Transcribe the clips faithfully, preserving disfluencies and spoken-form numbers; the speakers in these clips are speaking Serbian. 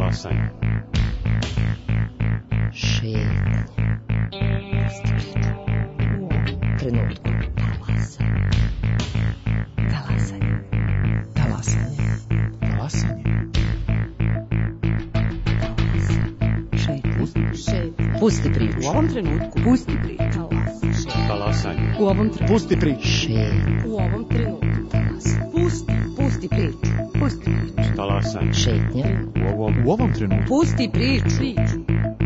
Talasanje. Šetnje. U ovom trenutku. Talasanje. Talasanje. Talasanje. Talasanje. Šetnje. Šetnje. Pusti priču. U ovom trenutku. Pusti priču. Talasanje. U ovom trenutku. Pusti priču. Šetnje. U ovom trenutku. Talasanje. Pusti. Pusti priču. Pusti priču. Talasanje. Šetnje. U ovom, U ovom trenutku. Pusti priču.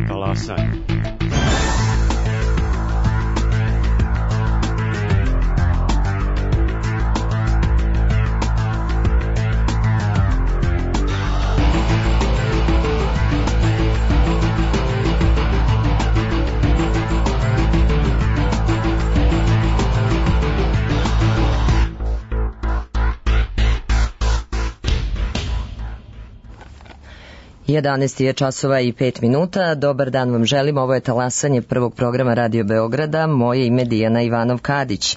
talasanje. jedanaest je časova i pet minuta. Dobar dan vam želim. Ovo je talasanje prvog programa Radio Beograda. Moje ime Dijana Ivanov-Kadić.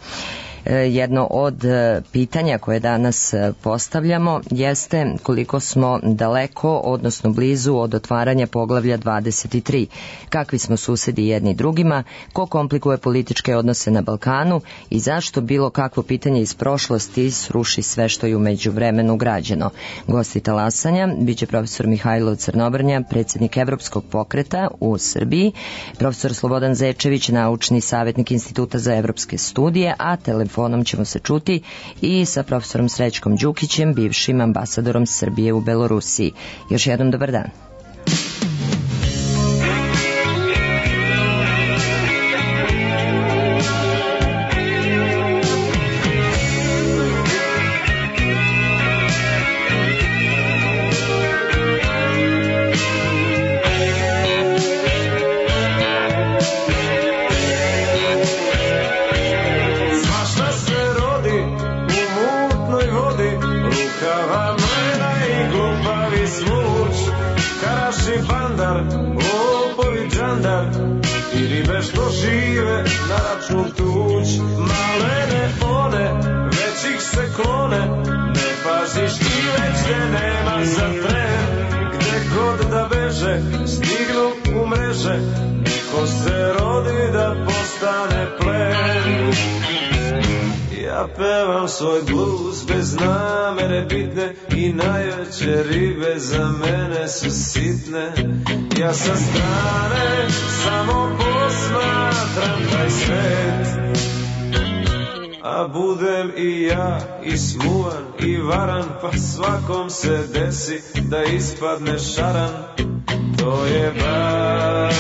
Jedno od pitanja koje danas postavljamo jeste koliko smo daleko, odnosno blizu od otvaranja poglavlja dvadeset tri. Kakvi smo susedi jedni drugima, ko komplikuje političke odnose na Balkanu i zašto bilo kakvo pitanje iz prošlosti sruši sve što je u međuvremenu građeno. Gosti talasanja biće profesor Mihajlo Crnobrnja, predsjednik Evropskog pokreta u Srbiji, profesor Slobodan Zečević, naučni savjetnik Instituta za evropske studije, a telefon Telefonom ćemo se čuti i sa profesorom Srećkom Đukićem, bivšim ambasadorom Srbije u Belorusiji. Još jednom dobar dan. Stignu u mreže, neko se rodi da postane plen. Ja pevam svoj blues bez namere bitne i najveće ribe za mene su sitne. Ja sa strane samo posmatram taj svet, a budem i ja i smuvan i varan, pa svakom se desi da ispadne šaran. To je bar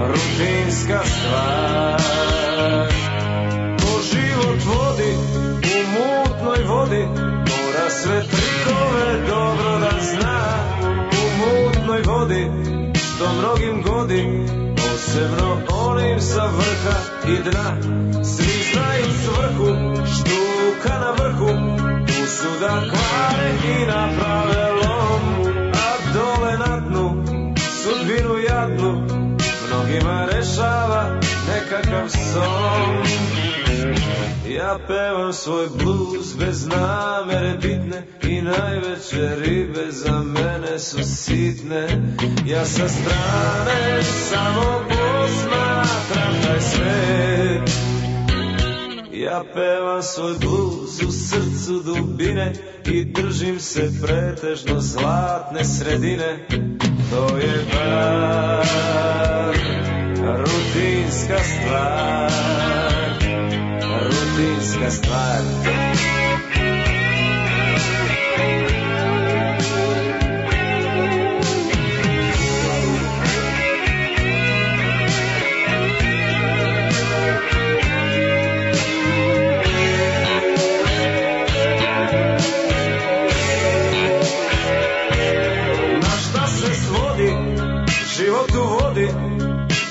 rutinska stvar. Ko život vodi u mutnoj vodi, mora sve trikove dobro da zna. U mutnoj vodi, što mnogim godi, posebno onim sa vrha i dna. Svi znaju svrhu, štuka na vrhu, tu su da kvare i naprave lom. Dole na dnu, sudbinu jadnu, mnogima rešava nekakav son. Ja pevam svoj blues bez namere bitne i najveće ribe za mene su sitne. Ja sa strane samo posmatram taj svet. Ja pevam svoj blues u srcu dubine i držim se pretežno zlatne sredine. To je bar rutinska stvar, rutinska stvar.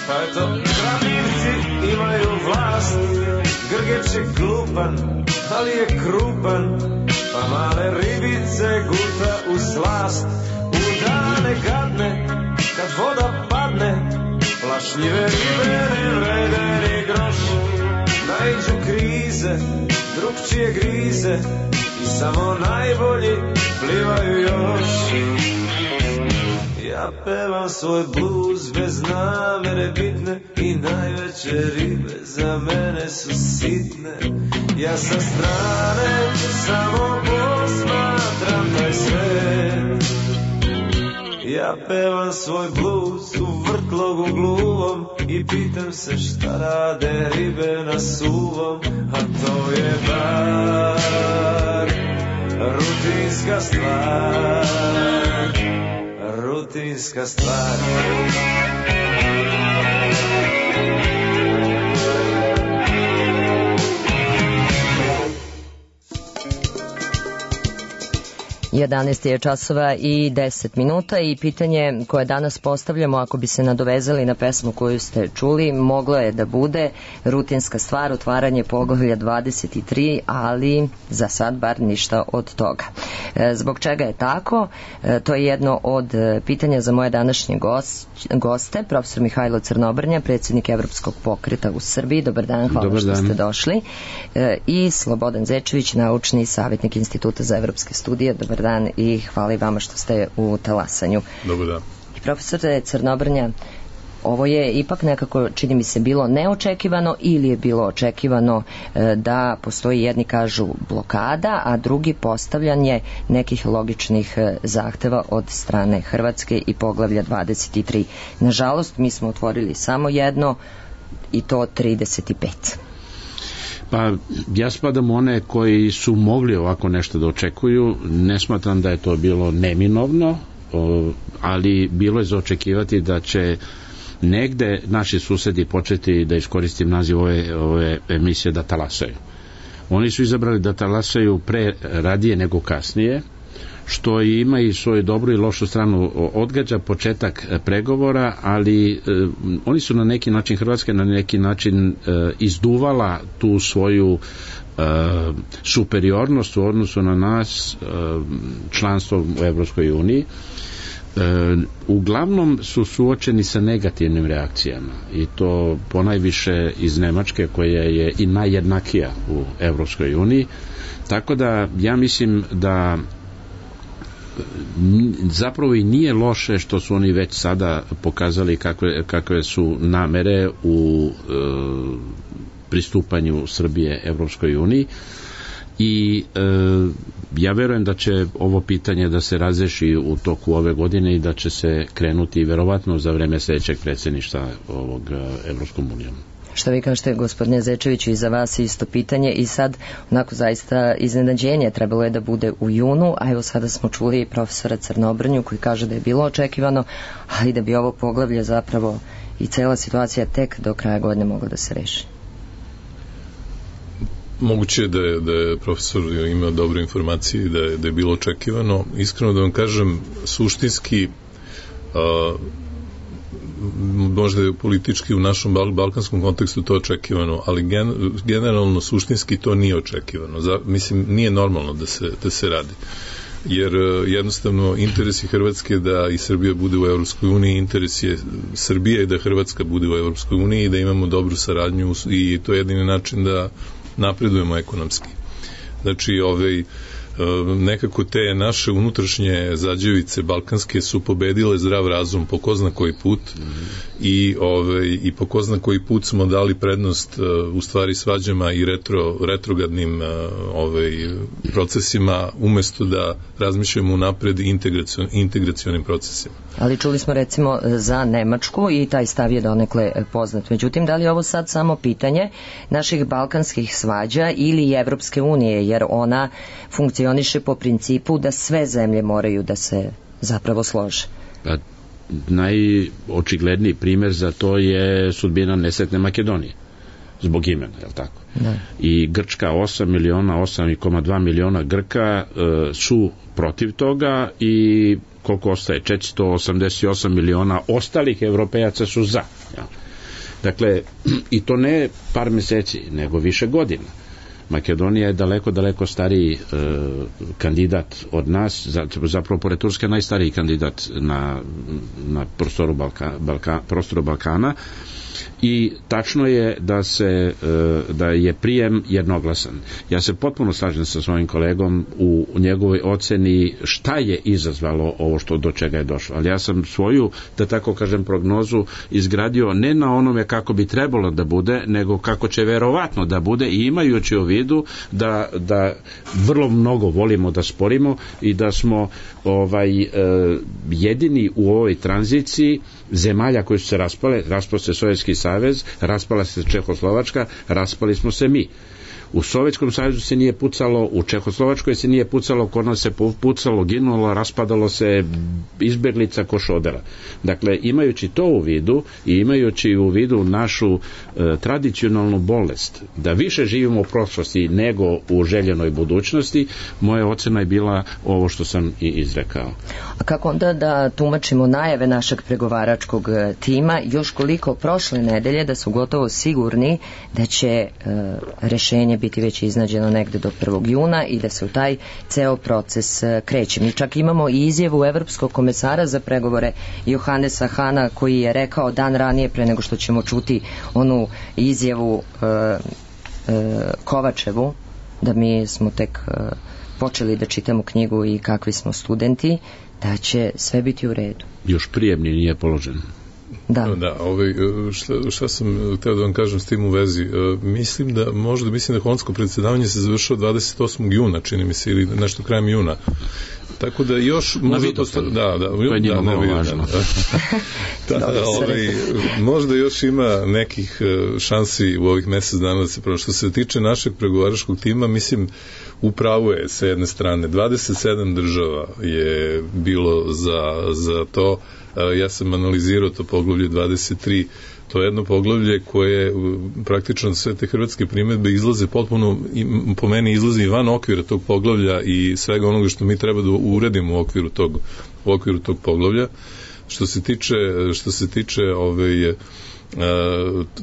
Pa eto, kravljivci imaju vlast. Grgeč je glupan, ali je krupan, pa male ribice guta u slast. U dane gadne, kad voda padne, plašljive ribe ne vrede ni groš. Naiđu krize, drugčije grize i samo najbolji plivaju još. Ja pevam svoj blues bez namere bitne i najveće ribe za mene su sitne. Ja sa strane samo posmatram taj svet. Ja pevam svoj blues u vrtlogu gluvom i pitam se šta rade ribe na suvom, a to je bar rutinska stvar, rutinska stvar. jedanaest je časova i deset minuta i pitanje koje danas postavljamo, ako bi se nadovezali na pesmu koju ste čuli, moglo je da bude rutinska stvar, otvaranje poglavlja dvadeset tri, ali za sad bar ništa od toga. Zbog čega je tako? To je jedno od pitanja za moje današnje goste, profesor Mihajlo Crnobrnja, predsjednik Evropskog pokreta u Srbiji. Dobar dan, hvala Dobar što dan. ste došli. I Slobodan Zečević, naučni savjetnik Instituta za evropske studije. Dobar dan i hvala i vama što ste u talasanju. Dobar dan. I profesore Crnobrnja, ovo je ipak nekako, čini mi se, bilo neočekivano ili je bilo očekivano da postoji, jedni kažu blokada, a drugi postavljanje nekih logičnih zahteva od strane Hrvatske i poglavlja dvadeset tri. Nažalost, mi smo otvorili samo jedno i to trideset pet. Pa ja spadam one koji su mogli ovako nešto da očekuju. Ne smatram da je to bilo neminovno, ali bilo je za očekivati da će negde naši susedi početi, da iskoristim naziv ove, ove emisije, da talasaju. Oni su izabrali da talasaju pre radije nego kasnije, što ima i svoju dobru i lošu stranu. Odgađa početak pregovora, ali e, oni su na neki način, Hrvatska na neki način e, izduvala tu svoju e, superiornost u odnosu na nas, e, članstvo u Evropskoj uniji. E, uglavnom su suočeni sa negativnim reakcijama i to ponajviše iz Nemačke, koja je i najjednakija u Evropskoj uniji. Tako da ja mislim da zapravo i nije loše što su oni već sada pokazali kakve, kakve su namere u e, pristupanju Srbije Evropskoj uniji i e, ja verujem da će ovo pitanje da se razreši u toku ove godine i da će se krenuti verovatno za vreme sljedećeg predsjedništva ovog Evropskom unijom. Što vi kažete, gospodine Zečeviću, i za vas isto pitanje i sad onako zaista iznenađenje trebalo je da bude u junu, a evo sada smo čuli i profesora Crnobrnju koji kaže da je bilo očekivano, ali da bi ovo poglavlje zapravo i cela situacija tek do kraja godine mogla da se reši. Moguće je da je, da je profesor imao dobre informacije i da je, da je bilo očekivano. Iskreno da vam kažem, suštinski a, možda je politički u našem bal, balkanskom kontekstu to očekivano, ali gen, generalno suštinski to nije očekivano. Za, mislim, nije normalno da se, da se radi. Jer jednostavno interesi Hrvatske da i Srbija bude u Evropskoj uniji, interes je Srbije da Hrvatska bude u Evropskoj uniji i da imamo dobru saradnju i to je jedini način da napredujemo ekonomski. Znači, ovaj, nekako te naše unutrašnje zađevice balkanske su pobedile zdrav razum po ko zna koji put mm-hmm. i, ovaj, i po ko zna koji put smo dali prednost u stvari svađama i retro, retrogradnim ovaj, procesima umesto da razmišljamo unapred integracion, integracionim procesima. Ali čuli smo recimo za Nemačku i taj stav je donekle poznat. Međutim, da li je ovo sad samo pitanje naših balkanskih svađa ili Evropske unije, jer ona funkcioniše po principu da sve zemlje moraju da se zapravo slože? Pa, najočigledniji primjer za to je sudbina nesretne Makedonije. Zbog imena, je li tako? Da. I Grčka, osam miliona, osam zarez dva miliona Grka e, su protiv toga i koliko ostaje? četiristo osamdeset osam miliona ostalih Evropejaca su za. Ja. Dakle, i to ne par meseci, nego više godina. Makedonija je daleko, daleko stariji e, kandidat od nas, zapravo pored Turske najstariji kandidat na, na prostoru, Balka, Balka, prostoru Balkana i tačno je da se da je prijem jednoglasan. Ja se potpuno slažem sa svojim kolegom u njegovoj oceni šta je izazvalo ovo što do čega je došlo. Ali ja sam svoju, da tako kažem, prognozu izgradio ne na onome kako bi trebalo da bude, nego kako će verovatno da bude, i imajući u vidu da, da vrlo mnogo volimo da sporimo i da smo ovaj e, jedini u ovoj tranziciji zemalja koje su se raspale. Raspao se Sovjetski savez, raspala se Čehoslovačka, raspali smo se mi. U Sovjetskom savezu se nije pucalo, u Čehoslovačkoj se nije pucalo, kod nas se pucalo, ginulo, raspadalo se, izbeglica ko šodera. Dakle, imajući to u vidu i imajući u vidu našu e, tradicionalnu bolest, da više živimo u prošlosti nego u željenoj budućnosti, moja ocena je bila ovo što sam i izrekao. A kako onda da tumačimo najave našeg pregovaračkog tima, još koliko prošle nedelje da su gotovo sigurni da će e, rešenje biti već iznađeno negde do prvog juna i da se u taj ceo proces kreće. Mi čak imamo i izjavu Evropskog komesara za pregovore Johannesa Hana, koji je rekao dan ranije, pre nego što ćemo čuti onu izjavu e, e, Kovačevu, da mi smo tek e, počeli da čitamo knjigu i kakvi smo studenti, da će sve biti u redu. Još prijemni nije položen. Da. Da, ovaj, šta, šta sam hteo da vam kažem s tim u vezi, mislim da možda, mislim da holandsko predsjedavanje se završilo dvadeset osmog juna, čini mi se, ili nešto krajem juna. Tako da još možda posto... da, da, to je njima malo važno. Da, da, ovaj, možda još ima nekih šansi u ovih mesec dana da se prvo. Što se tiče našeg pregovaračkog tima, mislim, upravo je sa jedne strane dvadeset sedam država je bilo za, za to. Ja sam analizirao to poglavlje dvadeset tri. To je jedno poglavlje koje praktično sve te hrvatske primedbe izlaze potpuno, po meni izlazi van okvira tog poglavlja i svega onoga što mi treba da uredimo u okviru tog, u okviru tog poglavlja. Što se tiče, što se tiče ove,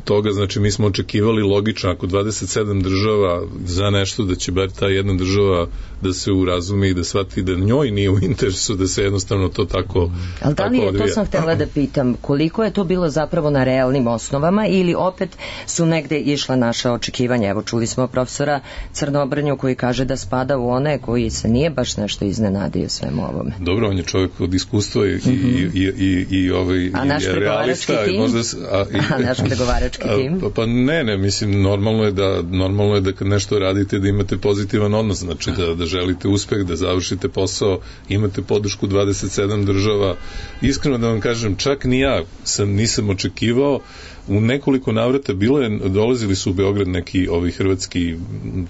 toga, znači mi smo očekivali logično ako dvadeset sedam država za nešto da će bar ta jedna država da se urazumi i da shvati da njoj nije u interesu da se jednostavno to tako ali da li je, to sam htjela da pitam, koliko je to bilo zapravo na realnim osnovama ili opet su negde išla naša očekivanja? Evo čuli smo profesora Crnobrnju koji kaže da spada u one koji se nije baš nešto iznenadio svemu ovome. Dobro, on je čovjek od iskustva i, mm-hmm. i, i, i, i, ovaj, a naš pregovarački tim? Možda, a, i, a naš pregovarački tim? Pa, pa ne, ne, mislim, normalno je da normalno je da kad nešto radite da imate pozitivan odnos, znači da, da želite uspeh, da završite posao, imate podršku dvadeset sedam država. Iskreno da vam kažem, čak ni ja sam, nisam očekivao. U nekoliko navrata bilo je, dolazili su u Beograd neki ovi hrvatski,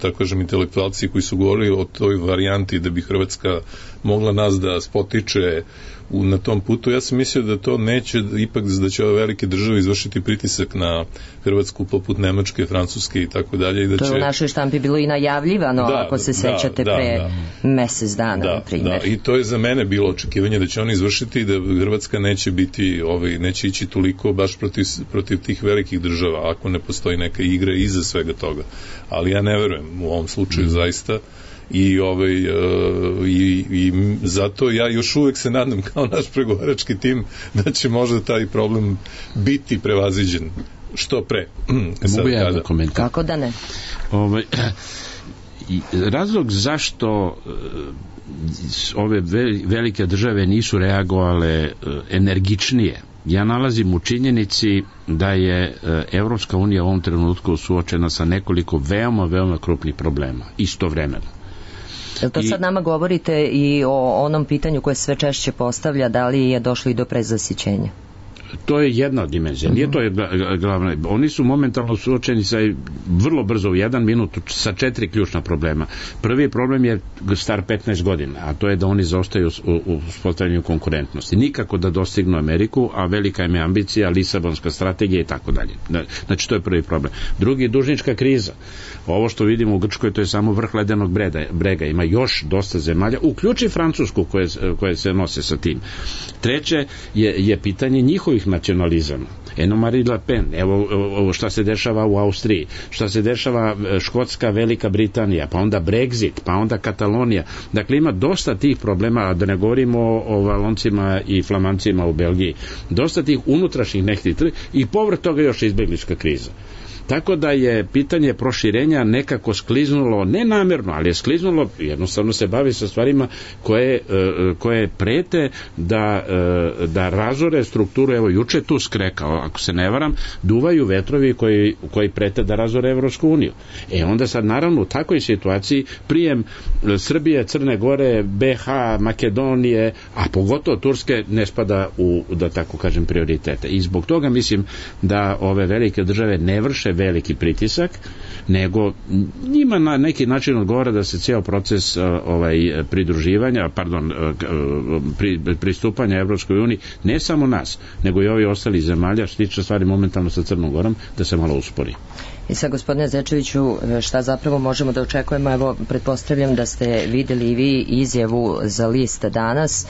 tako kažem, intelektualci koji su govorili o toj varijanti da bi Hrvatska mogla nas da spotiče u, na tom putu. Ja sam mislio da to neće, ipak da će ove velike države izvršiti pritisak na Hrvatsku poput Nemačke, Francuske i tako dalje. I da to je će... u našoj štampi bilo i najavljivano, da, ako se da, sećate, da, pre da, mesec dana, da, na primjer. Da, i to je za mene bilo očekivanje da će oni izvršiti i da Hrvatska neće biti, ovaj, neće ići toliko baš protiv, protiv tih velikih država, ako ne postoji neka igra iza svega toga. Ali ja ne verujem u ovom slučaju mm. zaista. I, ovaj, uh, i, i zato ja još uvek se nadam kao naš pregovarački tim da će možda taj problem biti prevaziđen što pre. Mogu ja da komentar? Kako da ne? Ovaj, razlog zašto ove velike države nisu reagovale energičnije, ja nalazim u činjenici da je Evropska unija u ovom trenutku suočena sa nekoliko veoma, veoma krupnih problema istovremeno. Jel to sad nama govorite i o onom pitanju koje sve češće postavlja, da li je došlo i do prezasićenja? To je jedna od dimenzija, nije to je glavna. Oni su momentalno suočeni sa vrlo brzo u jedan minut sa četiri ključna problema. Prvi problem je star petnaest godina, a to je da oni zaostaju u uspostavljanju konkurentnosti. Nikako da dostignu Ameriku, a velika im je ambicija, Lisabonska strategija i tako dalje. Znači to je prvi problem. Drugi, dužnička kriza. Ovo što vidimo u Grčkoj, to je samo vrh ledenog brega. Ima još dosta zemalja, uključi Francusku koje, koje se nose sa tim. Treće je, je pitanje njihovih novih nacionalizama. Eno Marine Le Pen, evo ovo šta se dešava u Austriji, šta se dešava Škotska, Velika Britanija, pa onda Brexit, pa onda Katalonija. Dakle, ima dosta tih problema, a da ne govorimo o, o Valoncima i Flamancima u Belgiji. Dosta tih unutrašnjih nekih i povrh toga još izbeglička kriza. Tako da je pitanje proširenja nekako skliznulo, ne namjerno, ali je skliznulo, jednostavno se bavi sa stvarima koje, koje prete da, da razore strukturu. Evo, juče tu skrekao, ako se ne varam, duvaju vetrovi koji, koji prete da razore Evropsku uniju. E onda sad, naravno, u takvoj situaciji prijem Srbije, Crne Gore, be ha, Makedonije, a pogotovo Turske, ne spada u, da tako kažem, prioritete. I zbog toga mislim da ove velike države ne vrše veliki pritisak, nego njima na neki način odgovara da se cijel proces ovaj pridruživanja, pardon, pri, pristupanja Evropskoj uniji, ne samo nas, nego i ovi ostali zemalja, što tiče stvari momentalno sa Crnom Gorom, da se malo uspori. I sad, gospodine Zečeviću, šta zapravo možemo da očekujemo? Evo, pretpostavljam da ste videli i vi izjavu za list danas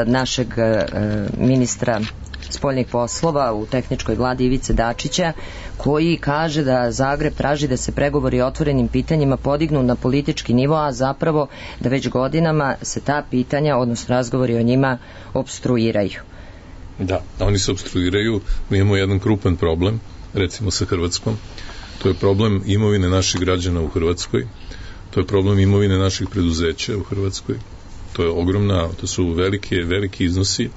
našeg ministra spoljnih poslova u tehničkoj vladi Ivice Dačića, koji kaže da Zagreb traži da se pregovori o otvorenim pitanjima podignu na politički nivo, a zapravo da već godinama se ta pitanja, odnosno razgovori o njima, opstruiraju. Da, oni se opstruiraju. Mi imamo jedan krupan problem, recimo sa Hrvatskom. To je problem imovine naših građana u Hrvatskoj. To je problem imovine naših preduzeća u Hrvatskoj. To je ogromna, to su velike, veliki iznosi.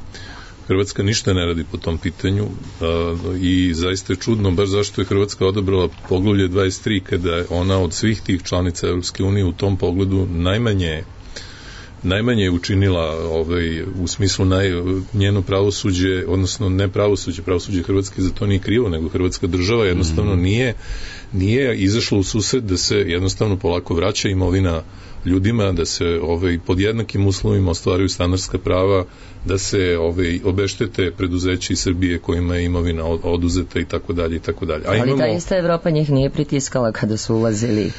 Hrvatska ništa ne radi po tom pitanju a, i zaista je čudno baš zašto je Hrvatska odabrala poglavlje dvadeset tri, kada je ona od svih tih članica Evropske unije u tom pogledu najmanje najmanje je učinila ovaj, u smislu naj, njeno pravosuđe, odnosno ne pravosuđe, pravosuđe Hrvatske za to nije krivo, nego Hrvatska država jednostavno nije, nije izašla u susret da se jednostavno polako vraća imovina ljudima, da se ovaj, pod jednakim uslovima ostvaruju standardska prava, da se ovaj, obeštete preduzeći iz Srbije kojima je imovina oduzeta i tako dalje i tako dalje. Ali imamo... ta ista Evropa njih nije pritiskala kada su ulazili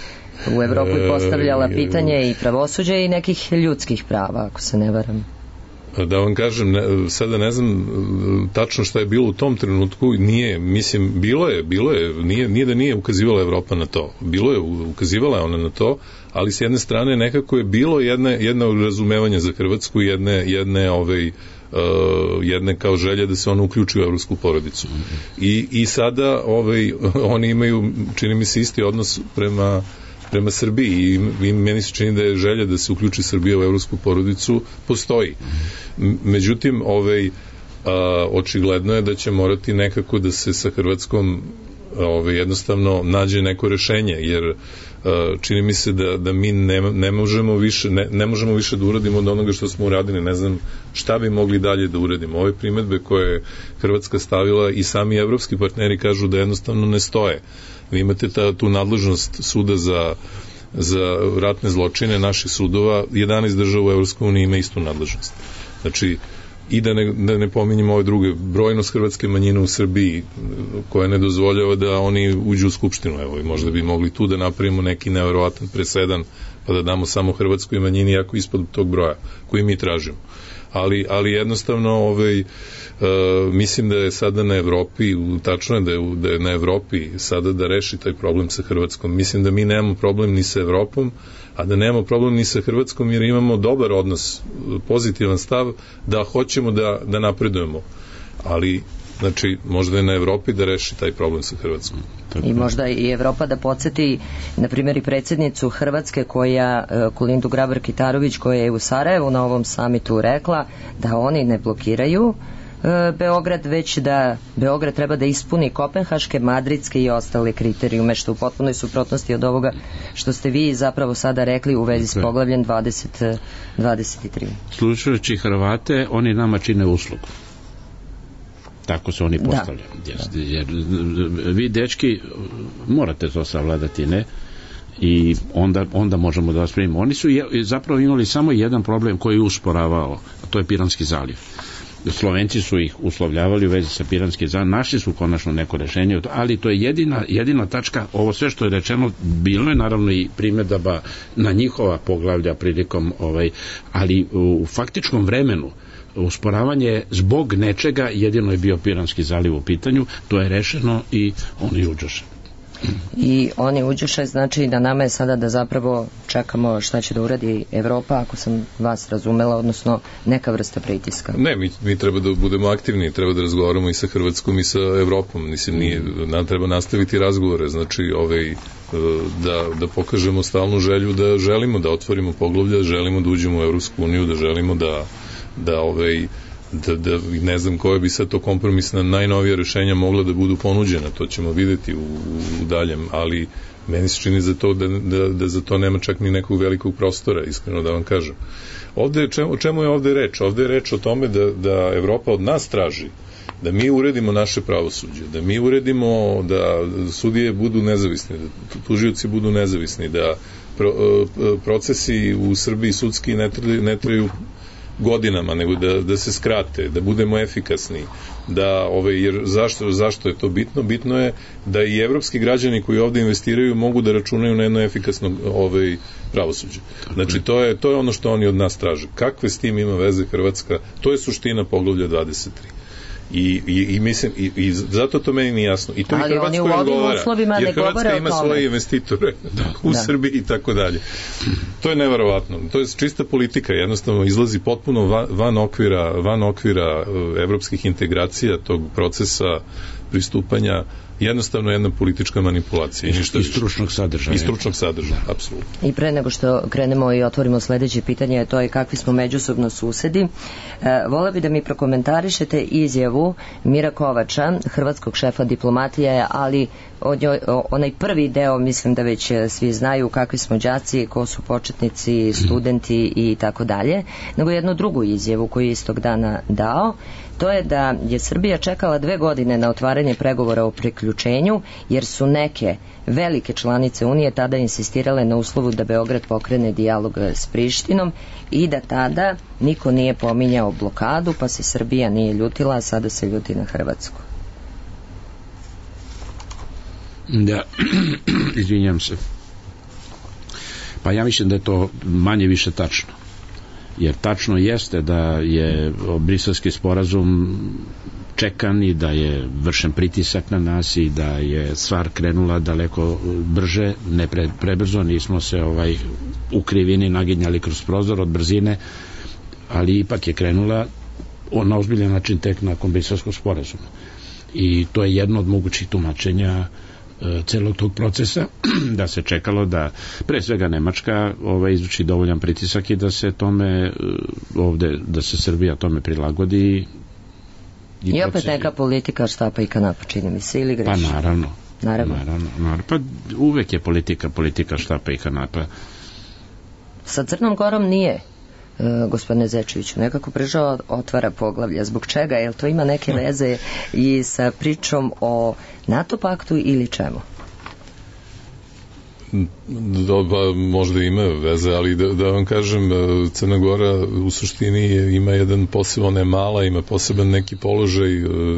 u Evropu i postavljala pitanje i pravosuđa i nekih ljudskih prava, ako se ne varam. Da vam kažem, ne, sada ne znam tačno šta je bilo u tom trenutku, nije, mislim, bilo je, bilo je, nije, nije da nije ukazivala Evropa na to, bilo je, ukazivala je ona na to, ali s jedne strane nekako je bilo jedne, jedno razumevanje za Hrvatsku, jedne, jedne, ovaj, uh, jedne kao želje da se ona uključi u evropsku porodicu. I, i sada ovaj, oni imaju, čini mi se, isti odnos prema prema Srbiji i, i meni se čini da je želja da se uključi Srbija u evropsku porodicu postoji. Međutim, ovaj, a, očigledno je da će morati nekako da se sa Hrvatskom ovaj, jednostavno nađe neko rešenje, jer a, čini mi se da, da mi ne, ne, možemo više, ne, ne možemo više da uradimo od onoga što smo uradili, ne znam šta bi mogli dalje da uradimo. Ove primetbe koje je Hrvatska stavila i sami evropski partneri kažu da jednostavno ne stoje. Vi imate ta, tu nadležnost suda za, za ratne zločine naših sudova, jedanaest država u Evropskoj uniji ima istu nadležnost. Znači, i da ne, da ne pominjemo ove druge, brojnost hrvatske manjine u Srbiji koja ne dozvoljava da oni uđu u skupštinu, evo, i možda bi mogli tu da napravimo neki neverovatan presedan, pa da damo samo hrvatskoj manjini, jako ispod tog broja koji mi tražimo. Ali, ali jednostavno ovaj, uh, mislim da je sada na Evropi, tačno je da je, da je na Evropi sada da reši taj problem sa Hrvatskom. Mislim da mi nemamo problem ni sa Evropom, a da nemamo problem ni sa Hrvatskom jer imamo dobar odnos, pozitivan stav da hoćemo da, da napredujemo. Ali znači, možda je na Evropi da reši taj problem sa Hrvatskom. I možda i Evropa da podsjeti, na primjer, i predsjednicu Hrvatske, koja, Kolindu Grabar-Kitarović, koja je u Sarajevu na ovom samitu rekla da oni ne blokiraju Beograd, već da Beograd treba da ispuni kopenhaške, madridske i ostale kriterijume, što u potpunoj suprotnosti od ovoga što ste vi zapravo sada rekli u vezi s poglavljem dvadeset dvadeset tri. Slušajući Hrvate, oni nama čine uslugu. Tako se oni postavljaju. Da. Jer vi, dečki, morate to savladati, ne? I onda, onda možemo da vas primimo. Oni su je, zapravo imali samo jedan problem koji je usporavao, a to je Piranski zaliv. Slovenci su ih uslovljavali u vezi sa Piranskim zalivom, našli su konačno neko rešenje, ali to je jedina, jedina tačka. Ovo sve što je rečeno, bilo je naravno i primedaba na njihova poglavlja prilikom, ovaj, ali u faktičkom vremenu usporavanje zbog nečega, jedino je bio Piranski zaliv u pitanju, to je rešeno i oni uđoše. I oni uđuše, znači da nama je sada da zapravo čekamo šta će da uradi Evropa, ako sam vas razumela, odnosno neka vrsta pritiska. Ne, mi, mi treba da budemo aktivni, treba da razgovaramo i sa Hrvatskom i sa Evropom, mislim, nije, nam treba nastaviti razgovore, znači ovaj, da, da pokažemo stalnu želju da želimo da otvorimo poglavlja, da želimo da uđemo u Evropsku uniju, da želimo da, da ovaj, Da, da ne znam koje bi sad to kompromisna najnovija rešenja mogla da budu ponuđena, to ćemo videti u, u daljem, ali meni se čini za to da, da, da za to nema čak ni nekog velikog prostora, iskreno da vam kažem. Ovde, čemu, o čemu je ovde reč? Ovde je reč o tome da, da Evropa od nas traži da mi uredimo naše pravosuđe, da mi uredimo da sudije budu nezavisni, da tužioci budu nezavisni, da pro, procesi u Srbiji sudski ne traju, ne traju godinama, nego da, da se skrate, da budemo efikasni, da, ovaj, jer zašto, zašto je to bitno? Bitno je da i evropski građani koji ovde investiraju mogu da računaju na jedno efikasno ovaj, pravosuđe. Znači, to je, to je ono što oni od nas traže. Kakve s tim ima veze Hrvatska? To je suština poglavlja dvadeset tri. I, i, i mislim, i, i zato to meni nije jasno. I to ali i Hrvatskoj odgovara, jer Hrvatska ima svoje investitore da. u da. Srbiji i tako dalje. To je neverovatno. To je čista politika, jednostavno izlazi potpuno van, van okvira, van okvira evropskih integracija, tog procesa pristupanja, jednostavno jedna politička manipulacija. I, ništa i stručnog sadržaja. I stručnog sadržaja, apsolutno. I pre nego što krenemo i otvorimo sledeće pitanje, to je kakvi smo međusobno susedi. E, vola bi da mi prokomentarišete izjavu Mira Kovača, hrvatskog šefa diplomatije, ali od njoj, onaj prvi deo, mislim da već svi znaju kakvi smo đaci, ko su početnici, studenti i tako dalje, nego jednu drugu izjavu koju je istog dana dao. To je da je Srbija čekala dve godine na otvaranje pregovora o priključenju, jer su neke velike članice Unije tada insistirale na uslovu da Beograd pokrene dijalog s Prištinom i da tada niko nije pominjao blokadu, pa se Srbija nije ljutila, a sada se ljuti na Hrvatsku. Da, izvinjam se. Pa ja mislim da je to manje više tačno. Jer tačno jeste da je briselski sporazum čekan i da je vršen pritisak na nas i da je stvar krenula daleko brže, ne pre, prebrzo, nismo se ovaj u krivini naginjali kroz prozor od brzine, ali ipak je krenula na ozbiljan način tek nakon briselskog sporazuma. I to je jedno od mogućih tumačenja celog tog procesa, da se čekalo da pre svega Nemačka ovaj, izvrši dovoljan pritisak i da se tome ovde, da se Srbija tome prilagodi i, I opet neka politika štapa i kanapa, čini mi se, ili greši? Pa naravno. Naravno. naravno, naravno. Pa uvek je politika, politika štapa i kanapa. Sa Crnom Gorom nije, Uh, gospodine Zečeviću, nekako Brežao otvara poglavlja. Zbog čega? Jel to ima neke veze i sa pričom o NATO paktu ili čemu? Da, ba, možda ima veze, ali da, da vam kažem, Crna Gora u suštini ima jedan poseban, ne mala, ima poseban neki položaj,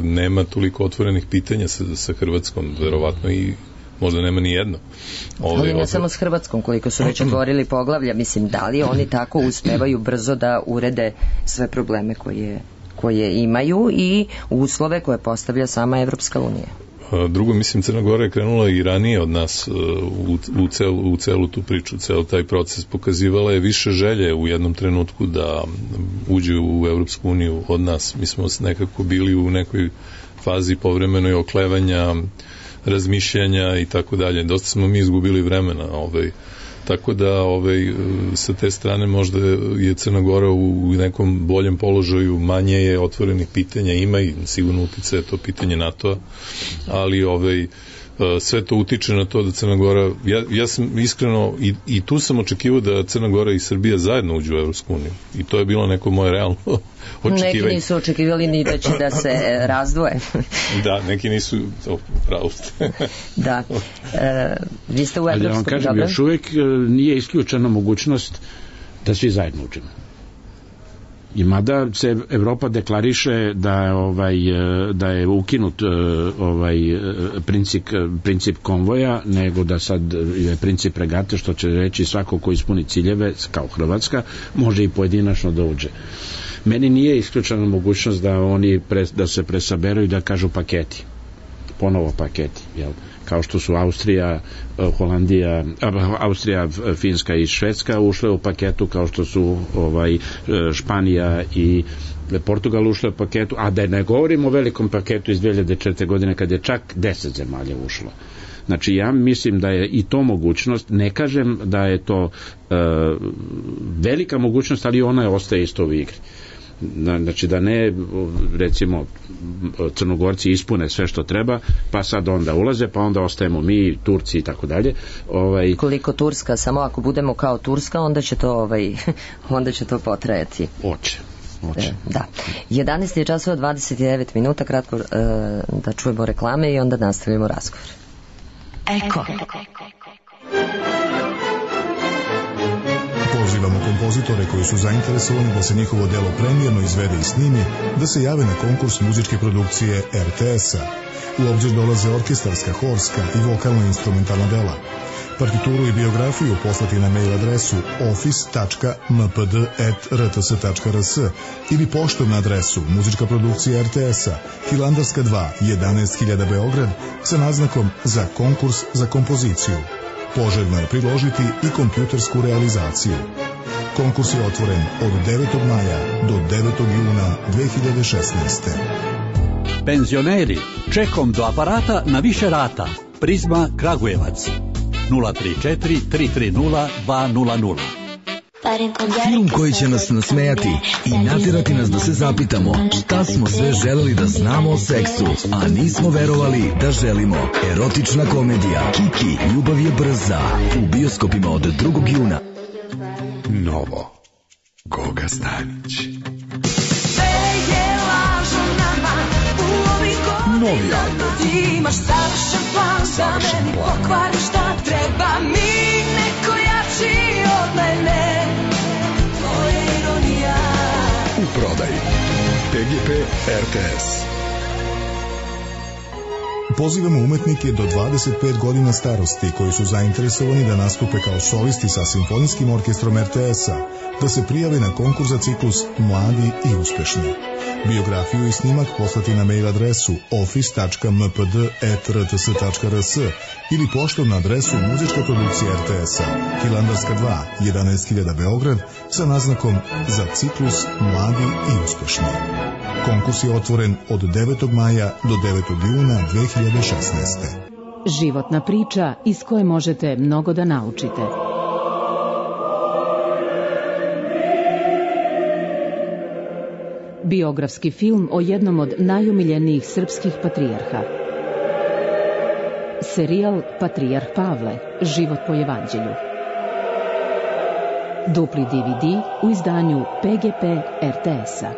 nema toliko otvorenih pitanja sa, sa Hrvatskom, verovatno i možda nema ni jedno. Ovdje, ali ne ovdje... samo s Hrvatskom, koliko su već otvorili poglavlja, mislim, da li oni tako uspevaju brzo da urede sve probleme koje, koje imaju i uslove koje postavlja sama Evropska unija? Drugo, mislim, Crna Gora je krenula i ranije od nas u, u, celu, u celu tu priču, cel taj proces. Pokazivala je više želje u jednom trenutku da uđe u Evropsku uniju od nas. Mi smo nekako bili u nekoj fazi povremenoj oklevanja, razmišljanja i tako dalje. Dosta smo mi izgubili vremena, ovaj, tako da ovaj, sa te strane možda je Crna Gora u nekom boljem položaju, manje je otvorenih pitanja, ima i sigurno uticaje to pitanje NATO-a, ali ovaj, sve to utiče na to da Crna Gora, ja, ja sam iskreno i, i tu sam očekivao da Crna Gora i Srbija zajedno uđu u Evropsku uniju i to je bilo neko moje realno očekivanje. Neki nisu očekivali ni da će da se razdvoje. Da, neki nisu, to pravo ste. Da. E, vi ste u Evropskom. Ali da vam kažem, dobro? Još uvek nije isključena mogućnost da svi zajedno uđemo. I mada se Evropa deklariše da ovaj da je ukinut ovaj princip princip konvoja, nego da sad je princip regate, što će reći svako ko ispuni ciljeve kao Hrvatska može i pojedinačno da uđe. Meni nije isključena mogućnost da oni pre, da se presaberu i da kažu paketi, ponovo paketi, jel? Kao što su Austrija, Holandija, Austrija, Finska i Švedska ušle u paketu, kao što su ovaj Španija i Portugal ušle u paketu, a da ne govorimo o velikom paketu iz dve hiljade četvrte. godine kad je čak deset zemalja ušlo. Znači ja mislim da je i to mogućnost, ne kažem da je to e, velika mogućnost, ali ona je ostaje isto u igri. Znači da ne, recimo Crnogorci ispune sve što treba, pa sad onda ulaze, pa onda ostajemo mi, Turci i tako dalje. Ovaj... Koliko Turska, samo ako budemo kao Turska, onda će to, ovaj, onda će to potrajati. Oće. Oće. Da. jedanaest je časova dvadeset devet minuta, kratko e, da čujemo reklame i onda nastavimo razgovor. Eko. Pozivamo kompozitore koji su zainteresovani da se njihovo delo premijerno izvede i snimi, da se jave na konkurs muzičke produkcije er te es-a. U obzir dolaze orkestarska, horska i vokalno-instrumentalna dela. Partituru i biografiju poslati na mail adresu office tačka m p d at r t s tačka r s ili poštom na adresu muzička produkcija er te es-a, Hilandarska dva, jedanaest hiljada Beograd, sa naznakom za konkurs za kompoziciju. Poželjno je priložiti i kompjutersku realizaciju. Konkurs je otvoren od devetog maja do devetog juna dve hiljade šesnaeste. Penzioneri, čekom do aparata na više rata. Prizma Kragujevac. nula tri četiri tri tri nula dva nula nula. Film koji će nas nasmejati i natjerati nas da se zapitamo šta smo sve želeli da znamo o seksu, a nismo verovali da želimo. Erotična komedija Kiki, ljubav je brza. U bioskopima od drugog juna. Novo. Goga Stanić. Novi album. Imaš savršen plan, savršen da meni plan. pokvari šta treba mi, neko jači od mene. To je ironija. U prodaji P G P er te es. Pozivamo umetnike do dvadeset pet godina starosti koji su zainteresovani da nastupe kao solisti sa simfonijskim orkestrom er te es-a, da se prijave na konkurs za ciklus Mladi i uspešni. Biografiju i snimak poslati na mail adresu office tačka m p d at r t s tačka r s ili poštom na adresu muzička produkcija er te es-a, Hilandarska dva, jedanaest hiljada Beograd, sa naznakom za ciklus Mladi i uspešni. Konkurs je otvoren od devetog maja do devetog juna dve hiljade šesnaeste. Životna priča iz koje možete mnogo da naučite. Biografski film o jednom od najomiljenijih srpskih patrijarha. Serijal Patrijarh Pavle, život po evanđelju. Dupli de ve de u izdanju P G P er te es-a.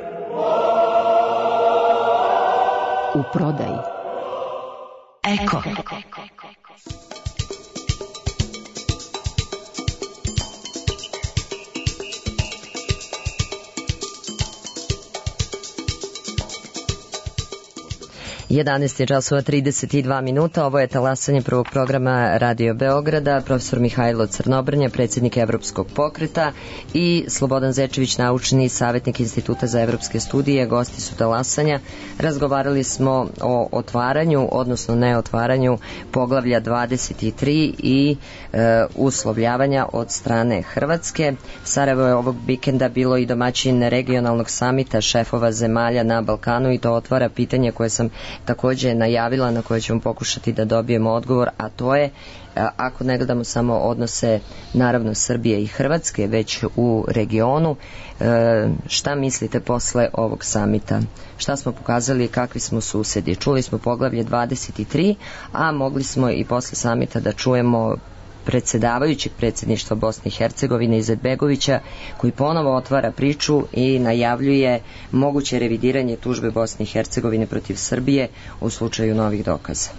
U prodaji. Eko. jedanaest je časova trideset dva minuta, ovo je talasanje prvog programa Radio Beograda, profesor Mihajlo Crnobrnja, predsjednik Evropskog pokreta i Slobodan Zečević, naučni savjetnik Instituta za evropske studije, gosti su talasanja. Razgovarali smo o otvaranju, odnosno neotvaranju poglavlja dvadeset tri i e, uslovljavanja od strane Hrvatske. Sarajevo je ovog vikenda bilo i domaćin regionalnog samita šefova zemalja na Balkanu i to otvara pitanje koje sam takođe najavila, na koje ćemo pokušati da dobijemo odgovor, a to je, ako ne gledamo samo odnose naravno Srbije i Hrvatske, već u regionu, šta mislite posle ovog samita? Šta smo pokazali, kakvi smo susedi? Čuli smo poglavlje dvadeset tri, a mogli smo i posle samita da čujemo predsjedavajućeg predsjedništva Bosne i Hercegovine Izetbegovića, koji ponovo otvara priču i najavljuje moguće revidiranje tužbe Bosne i Hercegovine protiv Srbije u slučaju novih dokaza.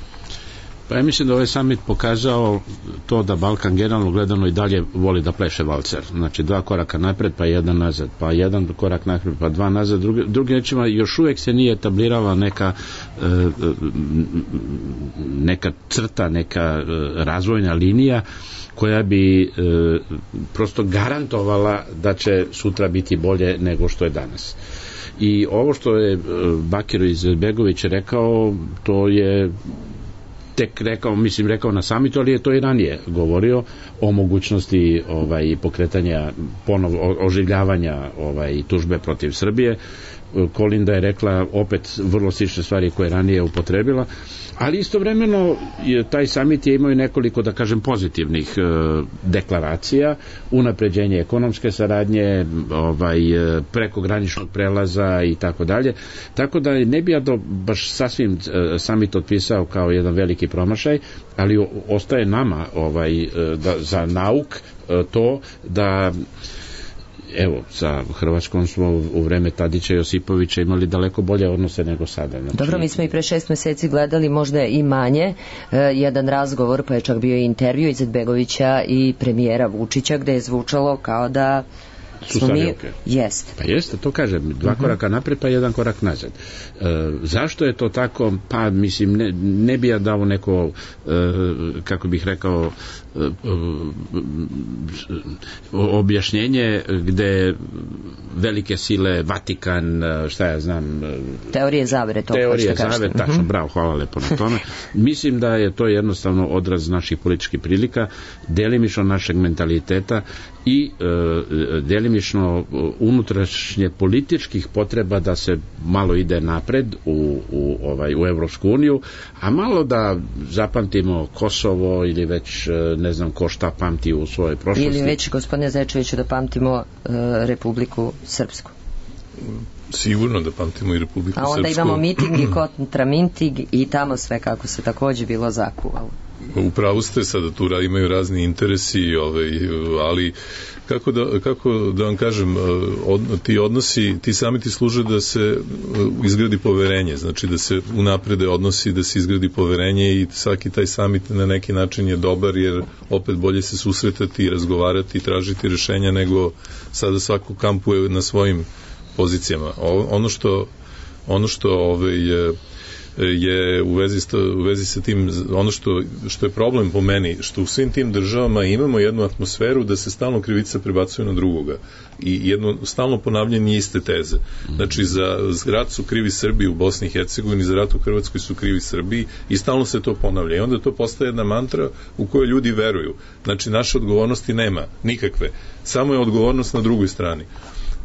Pa ja mislim da ovaj summit pokazao to da Balkan generalno gledano i dalje voli da pleše valcer. Znači dva koraka napred pa jedan nazad, pa jedan korak napred pa dva nazad. Drugi, drugi rečima još uvijek se nije etablirala neka neka crta, neka razvojna linija koja bi prosto garantovala da će sutra biti bolje nego što je danas. I ovo što je Bakir Izetbegović rekao, to je tek rekao, mislim rekao na samitu, ali je to i ranije govorio o mogućnosti ovaj, pokretanja ponovo oživljavanja ovaj, tužbe protiv Srbije. Kolinda je rekla opet vrlo slične stvari koje je ranije upotrebila, ali istovremeno je, taj samit je imao i nekoliko, da kažem, pozitivnih e, deklaracija, unapređenje ekonomske saradnje, ovaj, prekograničnog prelaza i tako dalje, tako da ne bi ja do, baš sasvim e, samit otpisao kao jedan veliki promašaj, ali o, ostaje nama ovaj, e, da, za nauk e, to da evo, sa Hrvatskom smo u vreme Tadića i Josipovića imali daleko bolje odnose nego sada. Znači... Dobro, mi smo i pre šest meseci gledali možda i manje e, jedan razgovor, pa je čak bio i intervju Izetbegovića i premijera Vučića, gde je zvučalo kao da su mi... Jeste. Pa jeste, to kažem, dva uh-huh. koraka napred pa jedan korak nazad. E, zašto je to tako? Pa mislim, ne, ne bi ja dao neko e, kako bih rekao e, e, objašnjenje gde velike sile, Vatikan, šta ja znam, teorije zavere, to teorije zavere, tačno, uh-huh. bravo, hvala lepo na tome. Mislim da je to jednostavno odraz naših političkih prilika, delimično našeg mentaliteta i e, delimično unutrašnje političkih potreba da se malo ide napred u, u, ovaj, u Evropsku uniju, a malo da zapamtimo Kosovo ili već ne znam ko šta pamti u svojoj prošlosti. Ili već, gospodine Zečeviću, da pamtimo e, Republiku Srpsku. Sigurno da pamtimo i Republiku Srpsku. A onda Srpsku. Imamo miting i kontramiting i tamo sve kako se takođe bilo zakuvalo. Upravo ste, sada tu imaju razni interesi, ovaj, ali kako da, kako da vam kažem, od, ti odnosi, ti samiti služe da se izgradi poverenje, znači da se unaprede odnosi, da se izgradi poverenje i svaki taj samit na neki način je dobar, jer opet bolje se susretati i razgovarati i tražiti rešenja nego sada svako kampuje na svojim pozicijama. O, ono što ono što ovaj, je je u vezi, sto, u vezi sa tim, ono što, što je problem po meni, što u svim tim državama imamo jednu atmosferu da se stalno krivica prebacuje na drugoga i jedno stalno ponavljanje iste teze. Znači za rat su krivi Srbi u Bosni i Hercegovini, za rat u Hrvatskoj su krivi Srbi i stalno se to ponavlja i onda to postaje jedna mantra u kojoj ljudi veruju. Znači naše odgovornosti nema, nikakve, samo je odgovornost na drugoj strani.